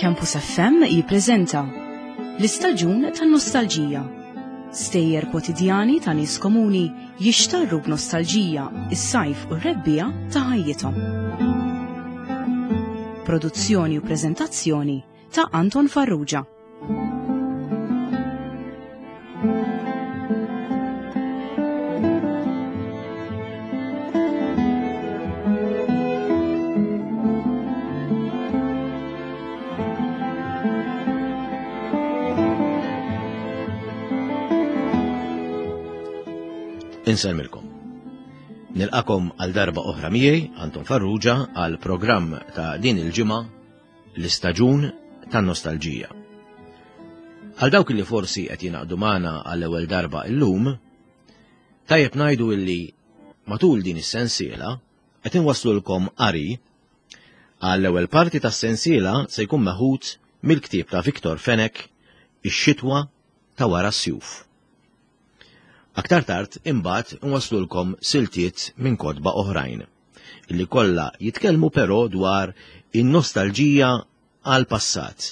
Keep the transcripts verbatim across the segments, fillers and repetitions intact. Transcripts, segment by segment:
Campus F M jippreżenta l-istaġun tan-nostalġija. Stejjer kwotidjani ta' nies komuni jixtarru b'nostalġija is-sajf u r-rebbiegħa ta' ħajjithom. Produzzjoni u preżentazzjoni ta' Anton Farrugia. Insellmilkom. Nilqakom għal darba oħra miegħi, Anton Farrugia, għal programm ta' din il-ġimgħa l-istaġun tan-nostalġija. Għal dawk li forsi qed jingħaqdu magħna għall-ewwel darba illum, tajjeb ngħidu illi matul din is-sensiela qed inwasslulkom qari għall-ewwel parti tas-sensiela se jkun meħud mill-ktieb ta' Victor Fenech, Ix-xitwa ta' wara s-sjuf. Aktar tard imbagħad nwaslulkom siltiet minn kotba oħrajn, illi kollha jitkellmu però dwar in-nostalġija għall-passat,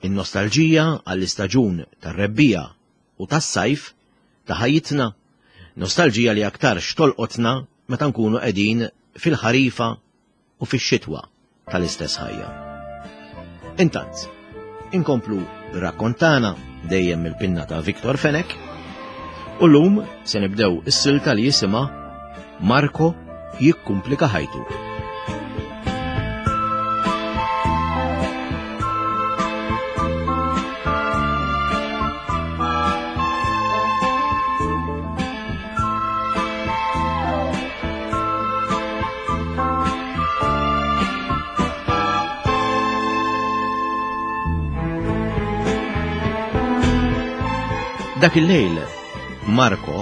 in-nostalġija għall-istaġun tar-rebbiegħa u tas-sajf ta' ħajjitna, nostalġija li aktar xtolqotna meta nkunu qegħdin fil-ħarifa u fix-xitwa tal-istess ħajja. Intant, inkomplu bir-rakkontana dejjem mill-pinna ta' Victor Fenech, u llum se nibdew is-silta li jisimha Marco jikkumplika ħajtu. Dak il-lejl Marco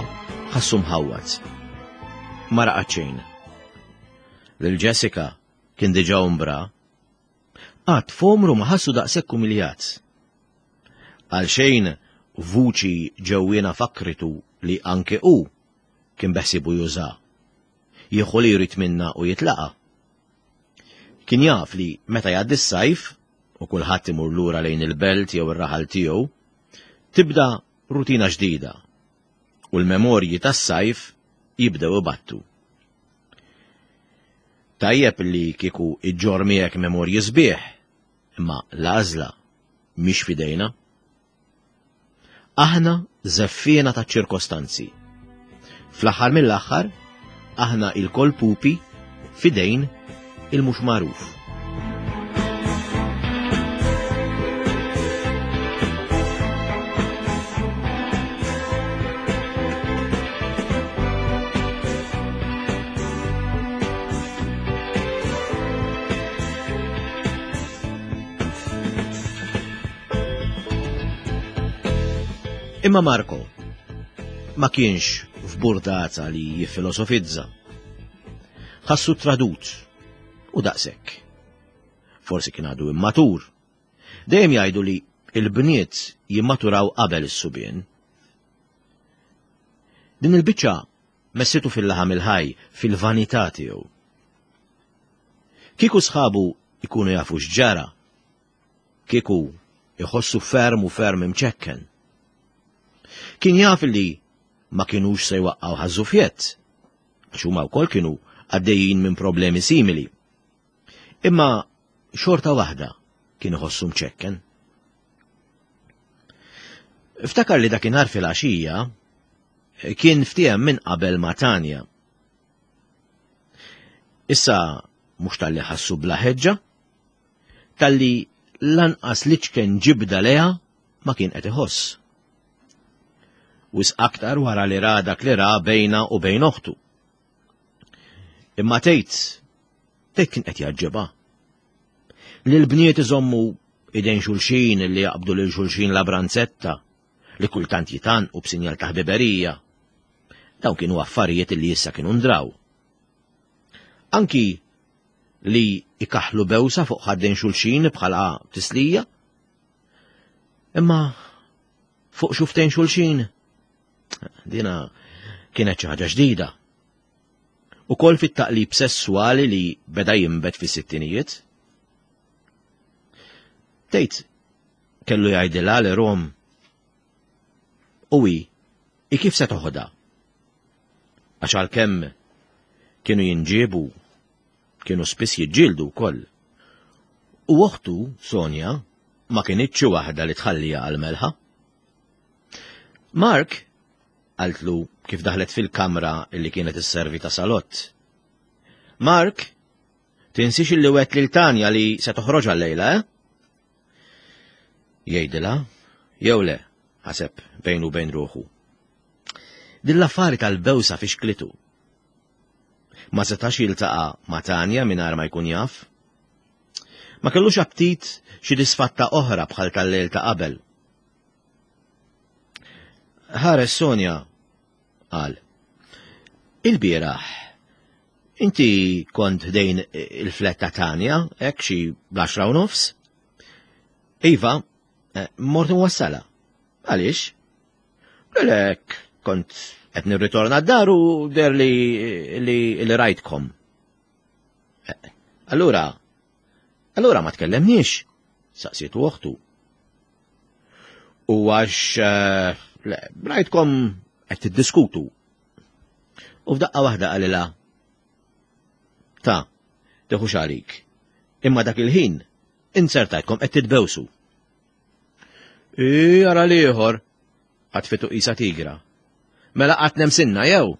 ħassu mħawwad. Ma raqad xejn. Lil Jessica kien diġà umbra. Qatt f'għomru ma ħassu daqshekk umiljat. Għal xejn vuċi ġewwiena fakritu li anke hu kien beħsibu juża. Jieħu li jrid minna u jitlaqa. Kien jaf li meta jgħaddi s-sajf u kulħadd imur lura lejn il-belt jew ir-raħal tiegħu, tibda rutina ġdida u l-memorji tas-sajf jibdew ibattu. Tajjeb li kieku iġġor miegħek memorji sbieħ, imma l-għażla mhix f'idejna. Aħna żeffiena ta' ċirkostanzi. Fl-aħħar mill-aħħar, aħna il-kol pupi f'idejn il-mhux magħruf. Imma Marco ma kienx f'burdata li jiffilosofizza. Ħassu tradut u daqshekk. Forsi kien għadu immatur. Dejjem jgħidu li il-bniet jimmaturaw qabel is-subien. Din il-biċċa messitu fil-laħam il-ħaj, fil-vanità tiegħu. Kieku sħabu ikunu jafu x'ġara, kieku iħossu ferm u ferm imċekken. Kien jaf li ma kienux se jwaqqgħu ħażufjett, għax huma wkoll kienu għaddejjin minn problemi simili. Imma xorta waħda kien iħossu mċekken. Ftakar li dakinhar fil-għaxija kien ftiehem minn qabel ma' Tanja. Issa mhux talli ħassu bla ħeġġa, talli lanqas liċken ġibda leha ma kien qed iħoss. Wis aktar wara li ra dak li ra bejna u bejn oħtu. Imma tgħid, tgħid kien qed jaġġibha. Li l-bniet iżommu idejn xulxin li jaqbdu lil xulxin la branzetta, li kultant jitanqu b'sinjal ta' ħbiberija. Dawn kienu affarijiet li issa kienu ndraw. Anki li ikaħlu bewsa fuq ħaddejn xulxin bħala tislija. Imma fuq xuftejn xulxin, dina kienet xi ħaġa ġdida. Ukoll fit-taqlib sessuali li beda jinbet fis-sittinijiet. Tgħid kellu jgħidilha li Rom. U hi, i kif se toħodha? Għax għalkemm kienu jinġiebu, kienu spiss jiġġieldu wkoll. U oħtu, Sonja, ma kinitx xi waħda li tħalliha għal-melħa. Mark, qaltlu kif daħlet fil-kamra illi kienet isservi ta' salott. Mark, tinsix illi wegħedt lil Tanja li se toħroġ għal-lejla, eh? Jgħidilha, jew le, ħaseb bejnu bejn ruħu. Din l-affari tal-bewsa fixklitu. Ma setax jiltaqa' ma' Tanja mingħajr ma jkun jaf. Ma kellux aptit xi disfatta oħra bħal tal-lejl ta' qabel. Ħares Sonja, qal. Il-bieraħ, inti kont ħdejn il-flat ta' Tanja, hekk xi bl-għaxra u nofs? Iva, mort nwassala. Għaliex? Lek, kont qed nirritorna d-dar u deher li li, li rajtkom. Allura, allura ma tkellemniex, saqsiet oħtu. U għax, le, rajtkom qed tiddiskutu. U f'daqqa waħda qalilha, ta' teħux għalik. Imma dak il-ħin, inzertajtkom qed titbewsu. I, ara l-ieħor, ħatfitu qisha tigra. Mela qatt nemsinna jew?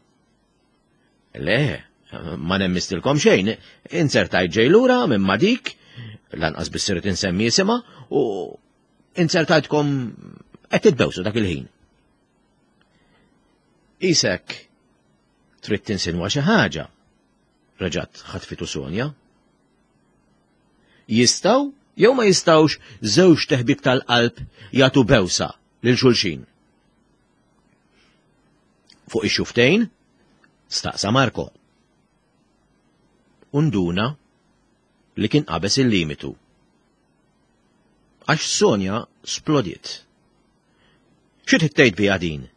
Le, ma nemmistilkom xejn, inzertajt ġej lura minn ma dik, lanqas biss irid insemmi isimha, u inzertajtkom qed titbewsu dak il-ħin. Isek, trid tinsinwa xi ħaġa, reġgħet ħatfitu Sonja. Jistgħu jew ma jistgħux żewġ teħbib tal-qalb jagħtu bewsa lil xulxin. Fuq ix-xuftejn, staqsa Marko. Unduna li kien qabeż il-limitu. Għax Sonja splodiet. Xi trid tgħid biha din?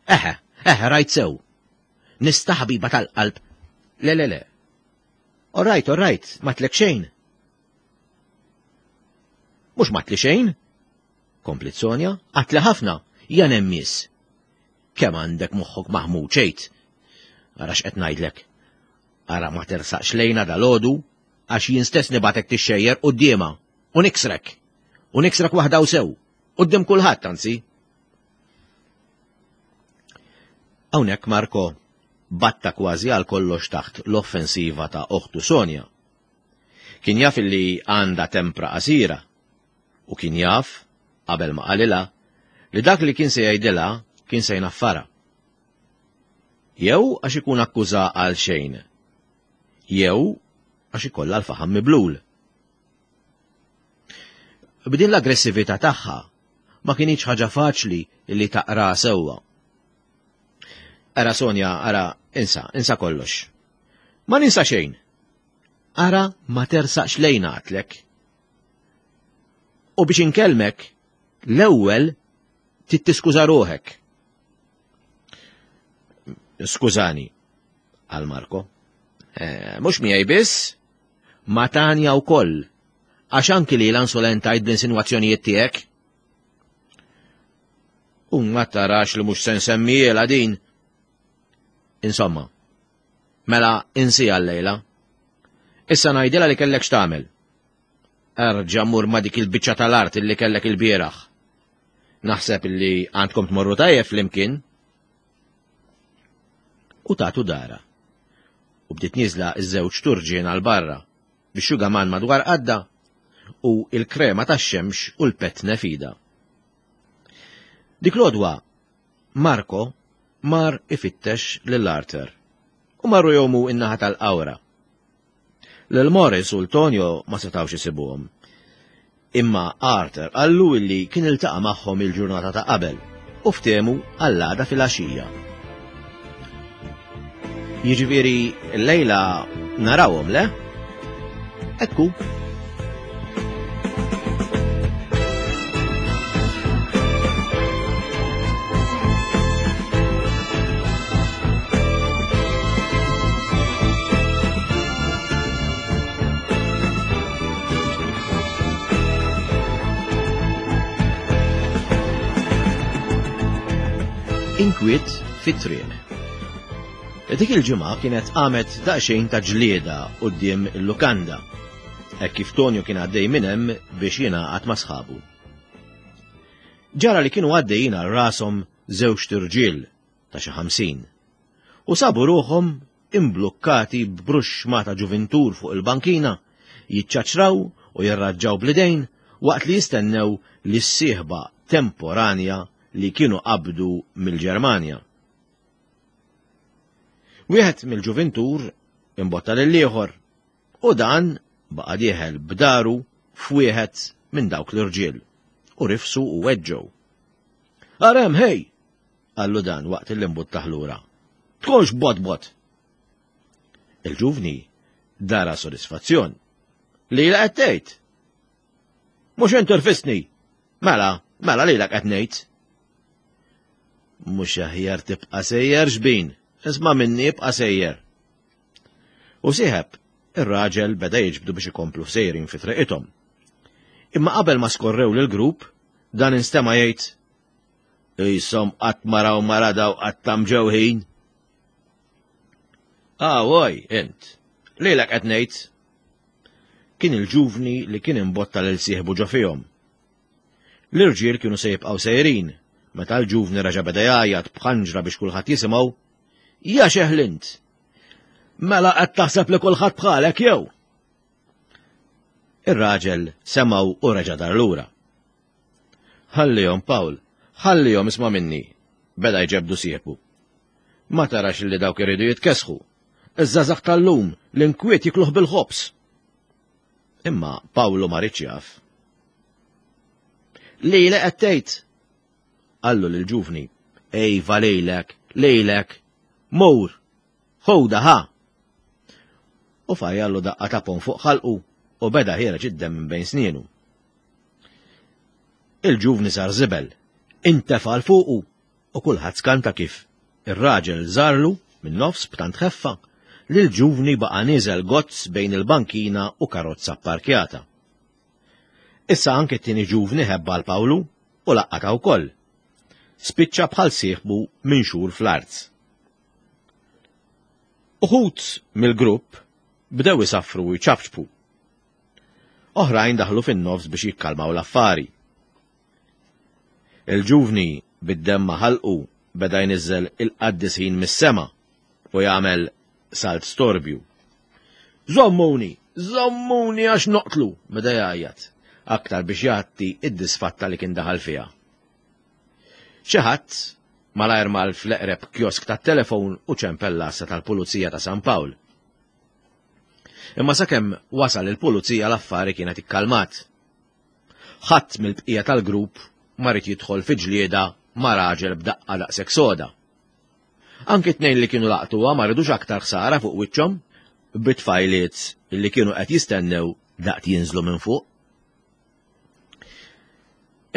Eħe, eħe, rajt sew. Nista' ħabiba tal-qalb. Le, le, le. All right, all right, ma tlek xejn. Mhux ma tli xejn? Komplit Sonja, għatli ħafna, ja nemmis. Kemm għandek moħħok maħmuġ ċejt. Ara x'qed ngħidlek. Ara ma tersaqx lejna dal-għodu, għax jien stess nibgħatek tixxejjer quddiemha u niksrek. U niksrek waħda u sew. Quddiem kulħadd anzi. Hawnhekk Marko batta kważi għal kollox taħt l-offensiva ta' oħtu Sonja. Kien jaf li għandha tempra qasira u kien jaf, qabel ma qalilha, li dak li kien se jgħidilha kien se jnaffara. Jew għax ikun akkuża għal xejn, jew għax ikollha l-faħam miblul. B'din l-aggressività tagħha ma kinitx ħaġa faċli li taqra sewwa. Ara Sonja, ara, insa, insa kollox. Ma ninsa xejn. Ara ma tersaqx lejna għatlek. U biex inkellmek, l-ewwel tittiskuża ruħek. Skużani, għal Marko. Eh, mhux miegħi biss, ma Tanja wkoll, għax anki li l-ansolentajt bl-insinwazzjonijiet tiegħek. U ma tarax li mhux se nsemmiela din. Insomma, mela insi għal-lejla. Issa ngħidilha li kellek x'tagħmel. Erġa' mur ma dik il-biċċa tal-art illi kellek il-bieraħ. Naħseb illi għandkom tmorru tajjeb flimkien. U tatu dara. U bdiet nieżla iż-żewġ turġien għal barra biex xugaman madwar qadda u il-krema tax-xemx u l-petne fida. Dik l-għodwa, Marko mar ifittex lil Arthur u marru jomu in-naħa tal-qawra. Lil Morris u l-Tonio ma setawx isibuhom. Imma Arthur qallu illi kien iltaqa' magħhom il-ġurnata ta' qabel u ftehmu għall-għada fil-għaxija. Jiġifieri llejla narawhom, le? Ekku. Inkwiet fit-triq. Dik il-ġimgħa kienet qamet daqsxejn ta' ġlieda quddiem il-lukanda, hekk kif Tonio kien għaddej minn hemm biex jingħaqad ma' sħabu. Ġara li kienu għaddejjin għal rashom żewġt irġiel ta' xi ħamsin u sabu ruħhom imblukkati b'bruxma ta' ġuvintur fuq il-bankina, jiċċaċraw u jirraġġaw bl-idejn waqt li jistennew li s-sieħba temporanja li kienu qabdu mill-Ġermanja. Wieħed mill-ġuvintur imbotta lill-ieħor u dan baqa' dieħel b'daru f'wieħed minn dawk l-irġiel u rifsu u weġġgħu. "Arem, hej!" qallu dan waqt li imbuttah lura. "Tkunx bot bot!" Il-ġuvni dara sodisfazzjon. "Lilek qed tgħid?" "Mhux int irfistni!" "Mela, mela lilek qed ngħid." "Mhux aħjar tibqa' sejjer xbin, isma' minni ibqa' sejjer." U sieħeb, ir-raġel beda jiġbdu biex ikomplu sejrin fi triqithom. Imma qabel ma skorrew lill-grupp, dan instema' jgħid, "Qishom qatt ma raw mara daw qatt mġewħin." "Ah, oj, int, lilek qed ngħid." Kien il-ġuvni li kien imbotta lil sieħbu ġo fihom. L-irġiel kienu se jibqgħu sejrin, meta l-ġuvni reġa' beda jgħajjat b'ħanġra biex kulħadd jisimgħu, "Ja xeħlint! Mela qed taħseb li kulħadd bħalek jew?" Ir-raġel semgħu u reġa' dar lura. "Ħallihom, Pawl, ħallihom isma' minni," beda jġebdu sieħbu. "Ma tarax li dawk iridu jitkesħu. Iż-żgħażagħ tal-lum l-inkwiet jikluh bil-ħobż." Imma Pawlu ma riedx jaf. "Lilek qed tgħid?" qallu lill-ġuvni. "Ejva lilek, lilek, mur, ħuda ħa." U fajjallu daqqa ta' pon fuq ħalqu u beda ħiereġ id-demm minn bejn snienu. Il-ġuvni sar żibel, intefa' 'l fuqu u kulħadd skanta kif ir-raġel żarlu minn nofs b'tant ħeffa li l-ġuvni baqa' nieżel gozz bejn il-bankina u karozza pparkjata. Issa anke t-tieni ġuvni ħebba 'l Pawlu u laqqata wkoll. Spiċċa bħal sieħbu minn xhur fl-art. Uħud mill-grupp bdew isaffru u jċapċpu. Oħrajn daħlu fin-nofs biex jikkalmaw l-affari. Il-ġuvni bid-demm ma' ħalqu beda jniżżel il-qaddisin mis-sema u jagħmel salt storbju. "Żommuni, żommuni għax noqtlu," beda jgħajjat, aktar biex jgħatti id-disfatta li kien daħal fiha. Xi ħadd malajr mal fl-eqreb kiosk tat-telefon u ċempel l-għassa tal-Pulizija ta' San Pawl. Imma sakemm wasal il-pulizija l-affari kienet ikkalmat. Ħadd mill-bqija tal-grupp ma ried jidħol fi ġlieda ma' raġel b'daqqa daqshekk soda. Anki tnejn li kienu laqtuha ma ridux aktar ħsara fuq wiċċhom bit-tfajliet li kienu qed jistennew daqt jinżlu minn fuq.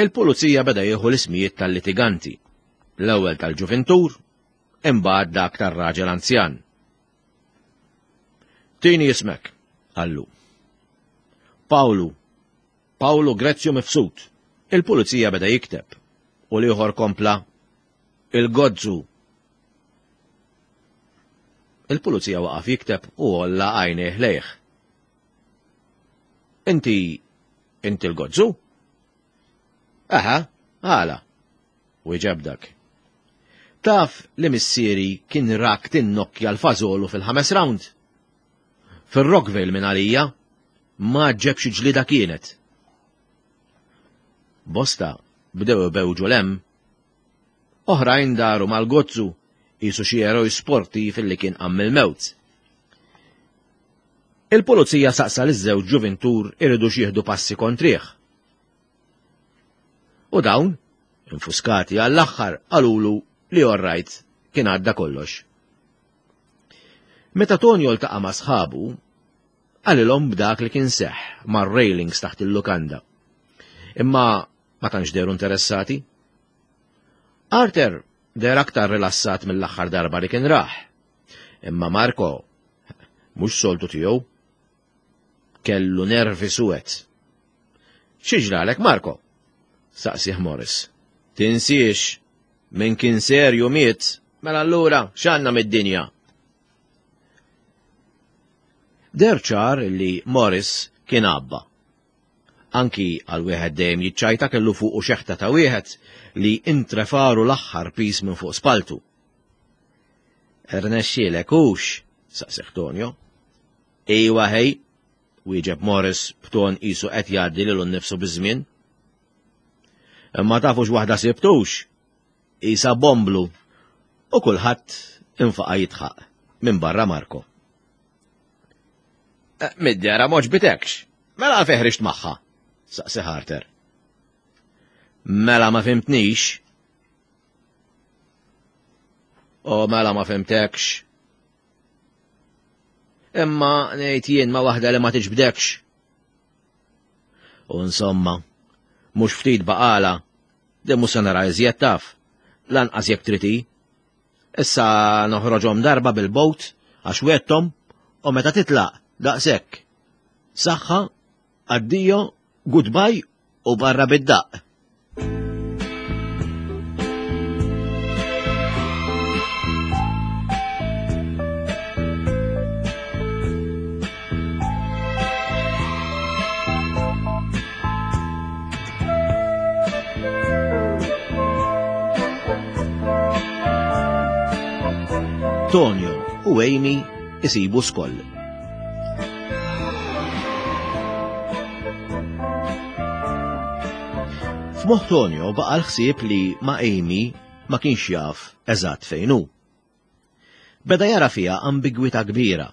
Il-pulizija beda jieħu l-ismijiet tal-litiganti, l-ewwel tal-ġuvintur, imbagħad dak tar-raġel anzjan. "Tini ismek," qallu. "Pawlu, Pawlu Grezzju Mifsud." Il-pulizija beda jikteb u l-ieħor kompla, "Il-Gozzu." Il-pulizija waqaf jikteb u għolla għajnejh lejh. "Inti, inti l-Gozzu?" "Aha, għala," wieġeb dak. "Taf li missieri kien rak tinnokkja l-fażolu fil-ħames round? Fil-Rockville minn għalija, ma ġeb xi ġlida kienet." Bosta bdew ibewġu lem. Oħrajn daru mal-Gozzu qisu xi eroj sportiv li kien qam mill-mewt. Il-pulizija saqsa liż-żewġ ġuvintur iridu jieħdu passi kontrih. U dawn, infuskati għall-aħħar, qalulu li orrajt kien għadda kollox. Meta Tonio ltaqa' ma' sħabu, qalilhom b'dak li kien seħħ mar-railings taħt il-lukanda. Imma ma tantx dehru interessati. Arthur deher aktar rilassat mill-aħħar darba li kien raħ. Imma Marco, mhux soltu tiegħu, kellu nervi suwed. "Xi ġralek, Marco?" saqsih Morris. "Tinsiex, Min kien serju miet, mela allura x'għandna mid-dinja? Deher ċar li Morris kien għabba. Anki għal wieħed dejjem jiċċajta kellu fuqu xeħta ta' wieħed li intrefaru l-aħħar pis minn fuq spaltu. Rnexxielek hux? Saqsih Tonio. Ejwa ħej, wieġeb Morris b'ton qisu qed jgħaddi lilu nnifsu biż-żmien. Imma tafux waħda sibtux, isa bomblu, u kulħadd infaqa' jidħaq minn barra Marko. Mid-dehra m'għoġbitekx, mela għalfejn ħriġt magħha? Saqsi Harter. Mela ma fimtnix. O mela ma fimtekx. Imma ngħid jien ma waħda li ma tiġbdekx. U insomma, mhux ftit baqala, din mhux se nara iżjed taf, lanqas jekk trid hi. Issa noħroġhom darba bil-boat għax wettom u meta titlaq daqshekk. Saħħa, addio, goodbye u barra bid-daq. Tonio u Amy isibu skoll. F'moħħ Tonio baqa' l-ħsieb li ma' Amy ma kienx jaf eżatt fejn hu. Beda jara fiha ambigwità kbira.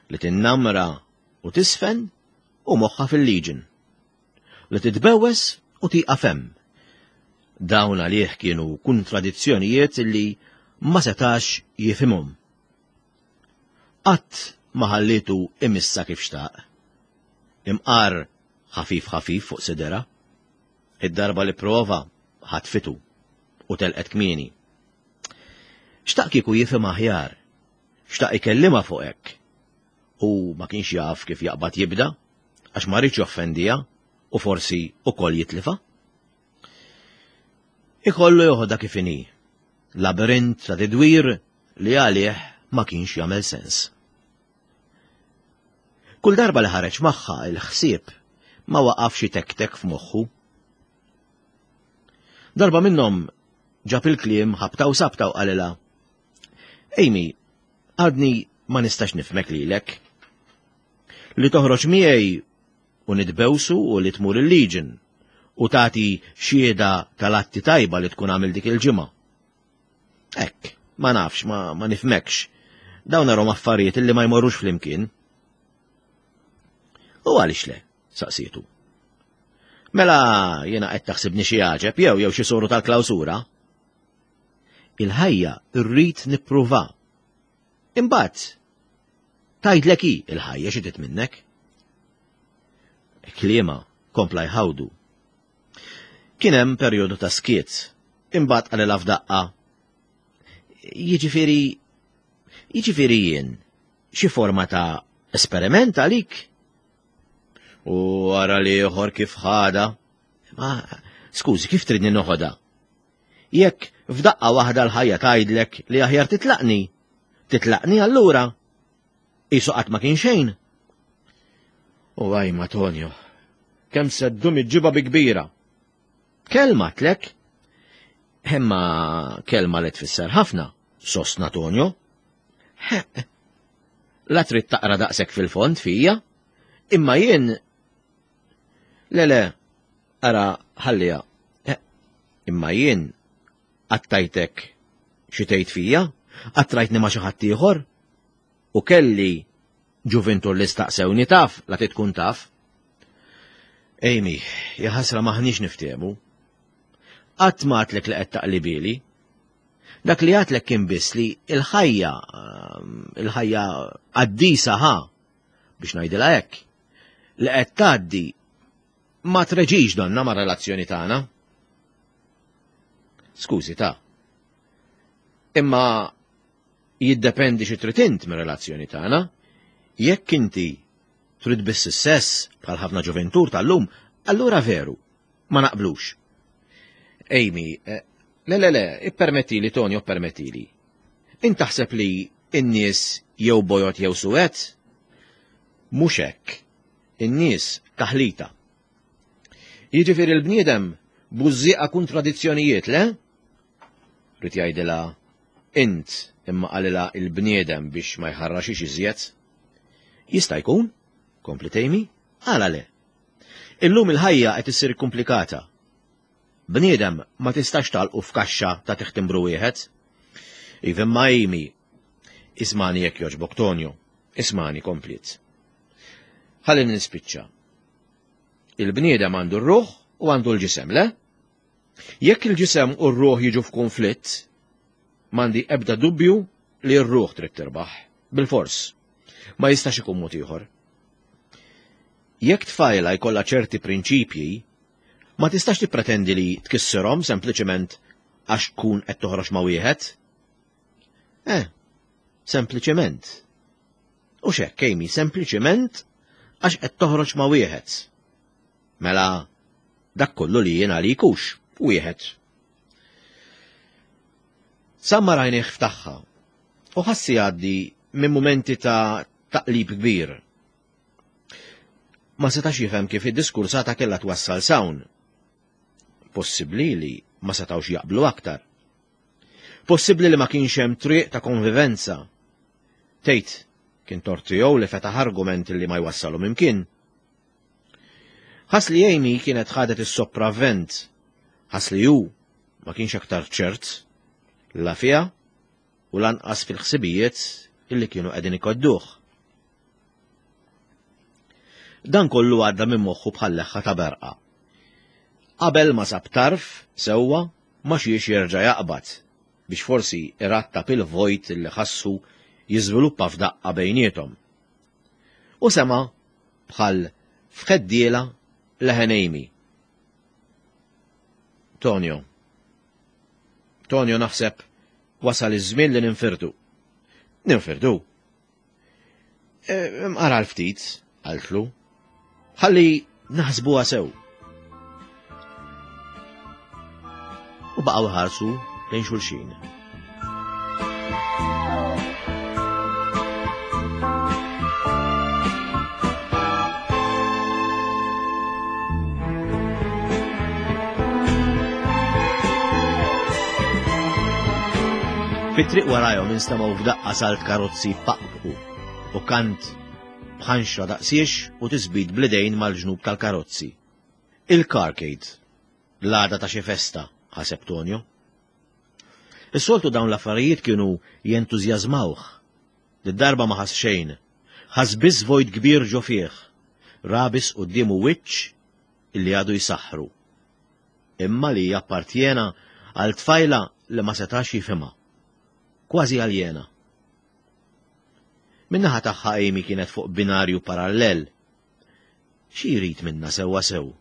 Li tinnamra u tisfen u moħħa fil-Legion. Li titbewwes u tieqaf hemm. Dawn għalih kienu kontradizzjonijiet li ma setax jifhimhom. Qatt ma ħallitu imissa kif xtaq. Imqar ħafif ħafif fuq sidera. Id-darba li prova ħatfitu u telqet kmieni. Xtaq kieku jifhem aħjar, xtaq ikellimha fuq hekk. U ma kienx jaf kif jaqbad jibda, għax ma rridx joffendiha u forsi ukoll jitlifa. Ikollu joħodha kif inhi, labirint ta' tidwir li għalih ma kienx jagħmel sens. Kull darba li ħareġ magħha il-ħsieb ma waqafx itektek f'moħħu. Darba minnhom ġab il-kliem ħabta u sabta u qalilha: Amy, għadni ma nistax nifhmek lilek. Li toħroġ miegħi u nitbewsu u li tmur il-Legion u tagħti xhieda tal-atti tajba li tkun għamil dik il-ġimgħa. Hekk, ma nafx, ma, ma nifhmekx. Dawn narhom affarijiet illi ma jmorrux flimkien. U għaliex le? Saqsietu. Mela jiena qed taħsibni xi għaġeb jew jew xi soru tal-klawsura. Il-ħajja rrid nippruva. Imbagħad tgħidlek hi il-ħajja xi trid minnek. Kliema kompla jħawdu. Kien hemm perjodu ta' skiet, imbagħad qalilha f'daqqa. Jiġifieri jiġifieri jien xi forma ta' esperiment għalik? U ara li ieħor kif ħada. Ma skużi, kif tridni noħodha? Jekk f'daqqa waħda l-ħajja tgħidlek li aħjar titlaqni, titlaqni allura. Qisu qatt ma kien xejn. U għaj ma Tonio, kemm se ddum iġġibha bi kbira. Kelma tlek? Imma kelma li tfisser ħafna, sostna Tonio. La trid taqra daqshekk fil-fond fija, imma jien Le le, ara ħallija. Imma jien qattajtek xi tgħid fija, qattrajtni ma' xi ħadd ieħor, u kelli ġuvintur li staqsewni taf, la tkun taf. Amy, jaħasra maħniex niftehmu. Qatt ma għadtlek li qed taqlibili. Dak li għadtlek kien biss li il-ħajja, il-ħajja qaddisa ħa, biex ngħidilha hekk, li qed tgħaddi ma treġix donna ma' relazzjoni tagħna. Skużi ta'. Imma jiddependi xi trid int mir-relazzjoni tagħna. Jekk inti trid biss is-sess bħal ħafna ġuventur tal-lum, allura veru, ma naqblux. Amy, Le, le, le, ippermettili, Tonio, ippermettili. Int taħseb li n-nies jew bojod jew suwed? Mhux hekk. In-nies taħlita. Jiġifieri l-bniedem bużżieqa kontradizzjonijiet, le? Ried jgħidilha int imma qalilha il-bniedem biex ma jħarraxix iżjed. Jista' jkun, kompliet Amy, għala le. Illum il-ħajja qed issir komplikata. Bniedem ma tistax tagħlqu f'kaxxa ta' timbru wieħed. Iva imma Amy, ismagħni jekk jogħġbok Tonio, ismagħni kompliet. Ħalli nispiċċa. Il-bniedem għandu r-ruħ u għandu l-ġisem, le? Jekk il-ġisem u r-ruħ jiġu f'konflitt, m'għandi ebda dubju li r-ruħ trid tirbaħ, bil-fors. Ma jistax ikun mod ieħor. Jekk tfajla jkollha ċerti prinċipji, ma tistax tippretendi li tkissirhom sempliċement għax tkun qed toħroġ ma' wieħed. Eh, sempliċement. U x'hekk, Amy, sempliċement għax qed toħroġ ma' wieħed. Mela, dak kollu li jien għalik hux, wieħed. Sammar għajnejh f'tagħha u ħassu jgħaddi minn mumenti ta' taqlib kbir. Ma setax jifhem kif id-diskursata kellha twassal s'hawn. Possibbli li ma setawx jaqblu aktar. Possibbli li ma kienx hemm triq ta' konvivenza. Tgħid, kien tort tiegħu li fetaħ argument li ma jwassalu imkien. Ħass li Amy kienet ħadet is-sopravvent. Ħass li hu ma kienx aktar ċert la fiha u lanqas fil-ħsibijiet illi kienu qegħdin ikodduh. Dan kollu għadda minn moħħu bħal leħħa ta' berqa. Qabel ma sab tarf sewwa ma xiex jerġa' jaqbad biex forsi irattab il-vojt li ħassu jiżviluppa f'daqqa bejniethom. U sema bħal f'ħeddiela leħen Amy. Tonio. Tonio naħseb wasal iż-żmien li ninfirdu. Ninfirdu. E, Ara l-ftit, qaltlu. Ħalli naħsbuha sew. U baqgħu ħarsu lejn xulxin. Fit-triq warajhom instemgħu f'daqqa salt karozzi paqpqu u kant bħanxra daqsiex u tisbit bl-idejn mal-ġnub tal-karozzi. Il-carcade, l-għada ta' xi festa, ħaseb Tonio. Is-soltu dawn l-affarijiet kienu jentużjażmawh. Did-darba ma ħass xejn, ħass biss vojt kbir ġo fih, ra biss quddiemu wiċċ illi għadu jsaħħru. Imma li jappartjena għal tfajla li ma setax jifhimha. Kważi aljena. Min-naħa tagħha Amy kienet fuq binarju parallel. Xi jrid minna sewwa sew?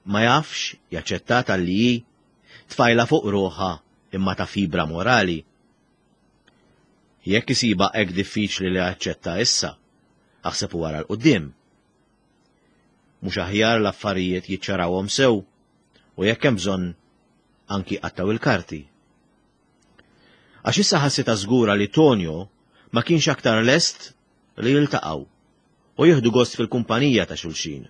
Ma jafx jaċċetta talli hi tfajla fuq ruħha imma ta' fibra morali. Jekk isibha hekk diffiċli li jaċċetta issa, aħseb wara 'l quddiem. Mhux aħjar l-affarijiet jiċċarawhom sew u jekk hemm bżonn anki qattaw il-karti. Għax issa ħassitha żgura li Tonio ma kienx aktar lest li jiltaqgħu u jieħdu gost fil-kumpanija ta' xulxin.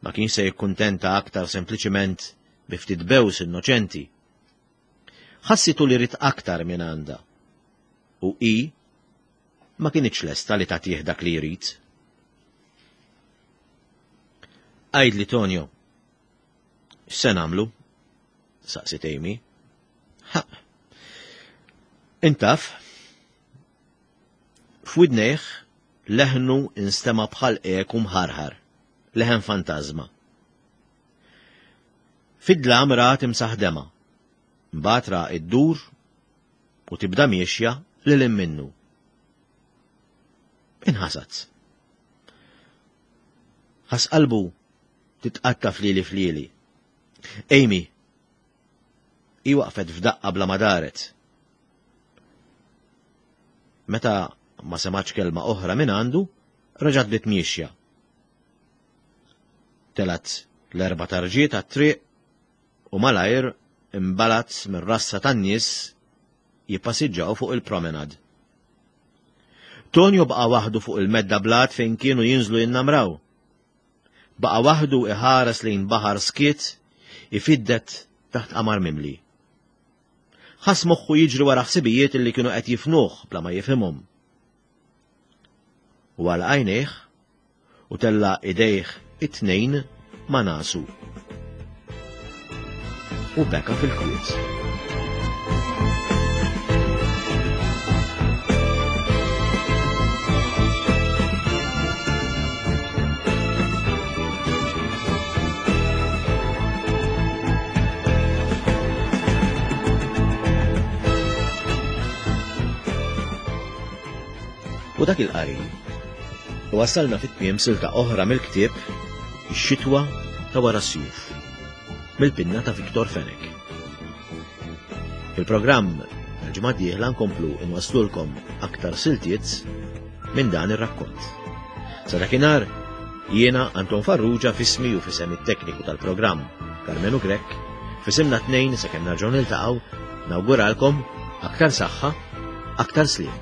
Ma kienx se jikkuntenta aktar sempliċiment bi ftit bews innoċenti. Ħassitu li ried aktar minn għandha. U hi ma kinitx lesta li tagħtih dak li jrid. Għidli Tonio, x'se nagħmlu? Saqsiet Amy. Ha. Int taf, f'widnejh leħnu instema bħal eku mħarħar, leħen fantażma. Fid-dlam ra timsaħ dema, mbagħad ra iddur u tibda miexja lil minnu. Inħasad. Ħass qalbu titqatta flieli flieli. Amy, hi waqfet f'daqqa bla ma daret. Meta ma semax kelma oħra minn għandu, reġgħet bdiet miexja. Telgħet l-erba' tarġiet għat-triq u malajr imbalat mir-rassa tan-nies jippasiġġaw fuq il-promenad. Tonio baqa' waħdu fuq il-medda blat fejn kienu jinżlu jinnamraw. Baqa' waħdu iħares lejn baħar skiet ifiddet taħt qamar mimli. Ħass moħħu jiġri wara ħsibijiet li kienu qed jifnuh bla ma jifhimhom. U għal għajnejh u tella' idejh it-tnejn ma' nasu. U beka fil-kwiet. U dak il-qari wasalna fit-tmiem silta oħra mill-ktieb Ix-Xitwa ta' Wara s-Sjuf mill-pinna ta' Victor Fenech. Fil-programm tal-ġimgħa d-dieħla nkomplu nwaslulkom aktar siltiet minn dan ir-rakkont. Sa dakinhar jiena Anton Farrugia f'ismi u f'isem it-tekniku tal-programm Karmenu Grech, f'isimna tnejn sakemm nerġgħu niltaqgħu nawguralkom aktar saħħa, aktar sliem.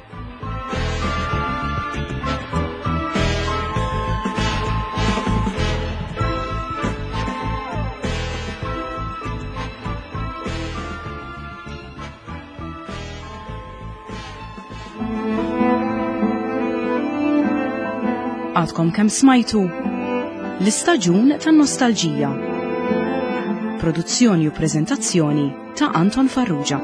Għadkom kemm smajtu L-Istaġun tan-Nostalġija. Produzzjoni u preżentazzjoni ta' Anton Farrugia.